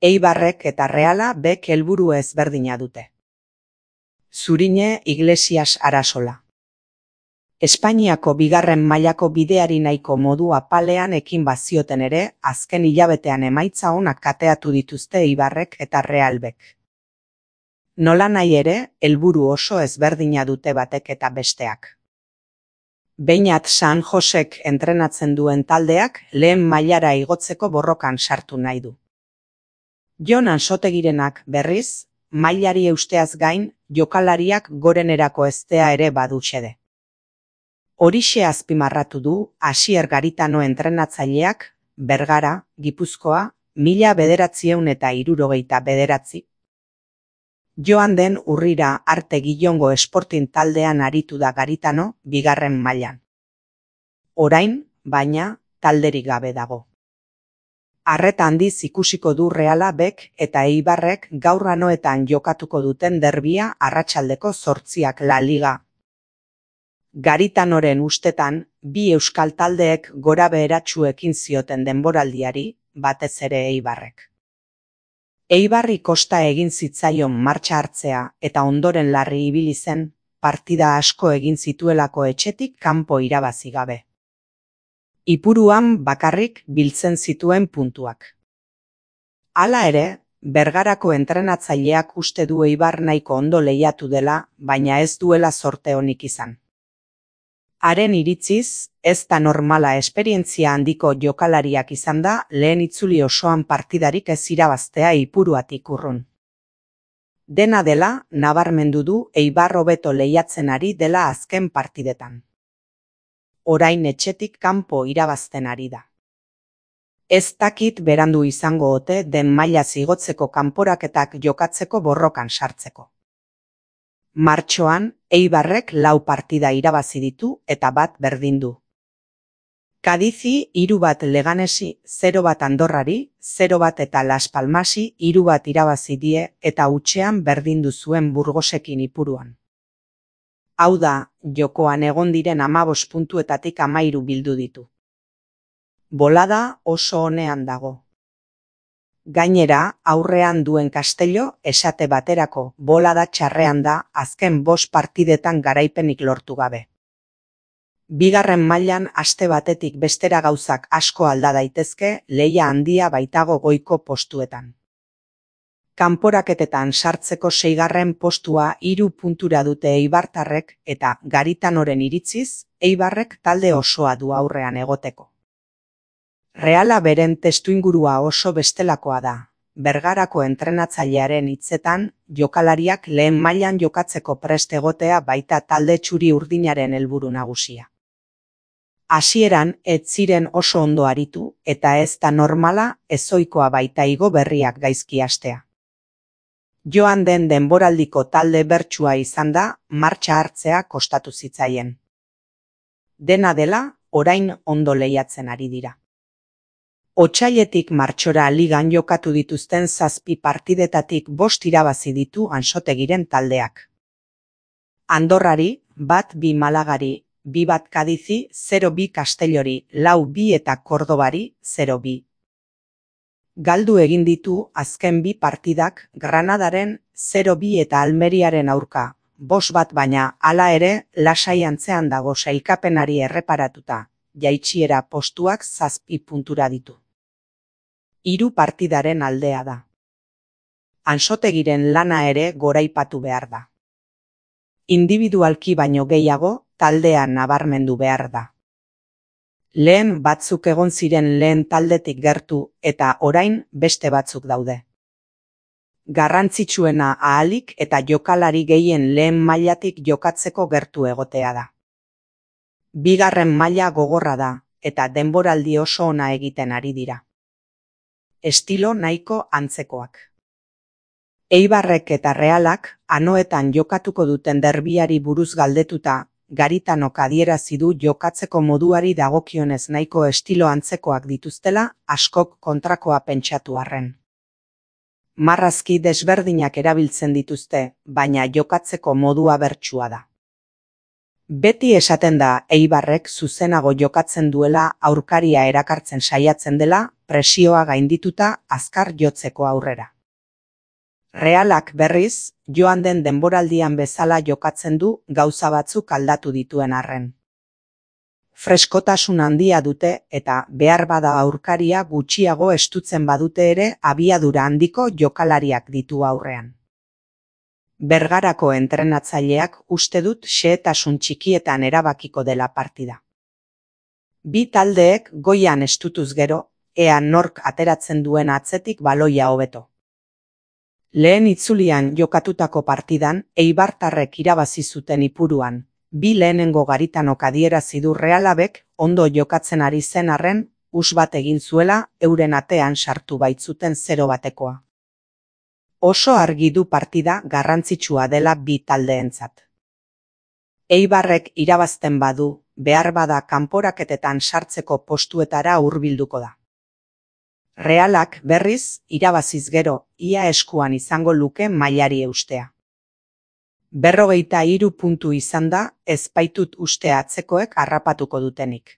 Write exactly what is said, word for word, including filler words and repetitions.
Eibarrek eta Reala bek helburu ezberdina dute. Zurine Iglesias Arasola. Espainiako bigarren mailako bideari nahiko modu apalean ekin bazioten ere, azken hilabetean emaitza onak kateatu dituzte Eibarrek eta Realbek. Nola nahi ere, helburu oso ezberdina dute batek eta besteak. Beñat San Josek entrenatzen duen taldeak lehen mailara igotzeko borrokan sartu nahi du. Jon Ansotegirenak berriz, mailari eusteaz gain, jokalariak gorenerako eztea ere badu xede. Horixe azpimarratu du Asier Garitano entrenatzaileak, Bergara, Gipuzkoa, mila bederatziehun eta hirurogeita bederatzi. Joan den urrira arte Gillongo Sporting taldean aritu da Garitano bigarren mailan. Orain, baina, talderik gabe dago. Arreta handiz ikusiko du Reala bek eta Eibarrek gaur anoetan jokatuko duten derbia arratsaldeko zortziak La Liga. Garitanoren ustetan, bi euskal taldeek gora beheratsuekin zioten denboraldiari, batez ere Eibarrek. Eibarri kosta egin zitzaion martxa hartzea eta ondoren larri ibili zen, partida asko egin zituelako etxetik kanpo irabazi gabe. Ipuruan bakarrik biltzen zituen puntuak. Hala ere, Bergarako entrenatzaileak uste du Eibar nahiko ondo lehiatu dela, baina ez duela zorte onik izan. Haren iritziz, ez da normala esperientzia handiko jokalariak izan da lehen itzuli osoan partidarik ez irabaztea Ipuruatik urrun. Dena dela, nabarmendu du Eibar hobeto lehiatzen ari dela azken partidetan. Orain etxetik kanpo irabazten ari da. Ez dakit berandu izango ote den maila zigotzeko kanporaketak jokatzeko borrokan sartzeko. Martxoan, Eibarrek lau partida irabazi ditu eta bat berdindu. Kadizi hiru bat Leganesi, zero bat Andorrari, zero bat eta Las Palmasi hiru bat irabazi die eta hutsean berdindu zuen Burgosekin Ipuruan. Hau da, jokoan egon diren hamabost puntuetatik hamahiru bildu ditu. Bolada oso onean dago. Gainera, aurrean duen Castello, esate baterako, bolada txarrean da azken bost partidetan garaipenik lortu gabe. Bigarren mailan aste batetik bestera gauzak asko alda daitezke, lehia handia baitago goiko postuetan. Kanporaketetan sartzeko seigarren postua hiru puntura dute eibartarrek eta Garitanoren iritziz, Eibarrek talde osoa du aurrean egoteko. Reala beren testuingurua oso bestelakoa da. Bergarako entrenatzailearen hitzetan, jokalariak lehen mailan jokatzeko prest egotea baita talde txuri urdinaren helburu nagusia. Hasieran ez ziren oso ondo aritu eta ez da normala ezoikoa baita igo berriak gaizki hastea. Joan den denboraldiko talde bertsua izan da, martxa hartzea kostatu zitzaien. Dena dela, orain ondo lehiatzen ari dira. Otsailetik martxora ligan jokatu dituzten zazpi partidetatik bost irabazi ditu Ansotegiren taldeak. Andorrari, bat bi Malagari, bi bat Kadizi, zero bi Castellori, lau bi eta Kordobari, zero bi. Galdu egin ditu azken bi partidak Granadaren zero bi eta Almeriaren aurka, bost bat baina hala ere lasai antzean dago sailkapenari erreparatuta, jaitsiera postuak zazpi puntura ditu. Hiru partidaren aldea da. Ansotegiren lana ere goraipatu behar da. Individualki baino gehiago, taldean nabarmendu behar da. Lehen batzuk egon ziren lehen taldetik gertu eta orain beste batzuk daude. Garrantzitsuena ahalik eta jokalari gehien lehen mailatik jokatzeko gertu egotea da. Bigarren maila gogorra da eta denboraldi oso ona egiten ari dira. Estilo nahiko antzekoak. Eibarrek eta Realak anoetan jokatuko duten derbiari buruz galdetuta, Garitanok adierazi du jokatzeko moduari dagokionez nahiko estilo antzekoak dituztela askok kontrakoa pentsatu arren. Marrazki desberdinak erabiltzen dituzte, baina jokatzeko modua bertsua da. Beti esaten da Eibarrek zuzenago jokatzen duela aurkaria erakartzen saiatzen dela presioa gaindituta azkar jotzeko aurrera. Realak berriz, joan den denboraldian bezala jokatzen du gauza batzuk aldatu dituen arren. Freskotasun handia dute eta behar bada aurkaria gutxiago estutzen badute ere abiadura handiko jokalariak ditu aurrean. Bergarako entrenatzaileak uste dut xehetasun txikietan erabakiko dela partida. Bi taldeek goian estutuz gero, ea nork ateratzen duen atzetik baloia hobeto. Lehen itzulian jokatutako partidan, eibartarrek irabazi zuten Ipuruan, bi lehenengo garitanok adierazi du Realabek ondo jokatzen ari zen arren, us bat egin zuela euren atean sartu baitzuten zero batekoa. Oso argi du partida garrantzitsua dela bi taldeentzat. Eibarrek irabazten badu, behar bada kanporaketetan sartzeko postuetara hurbilduko da. Realak berriz, irabaziz gero, ia eskuan izango luke mailari eustea. Berrogeita hiru puntu izan da, ez baitut uste atzekoek harrapatuko dutenik.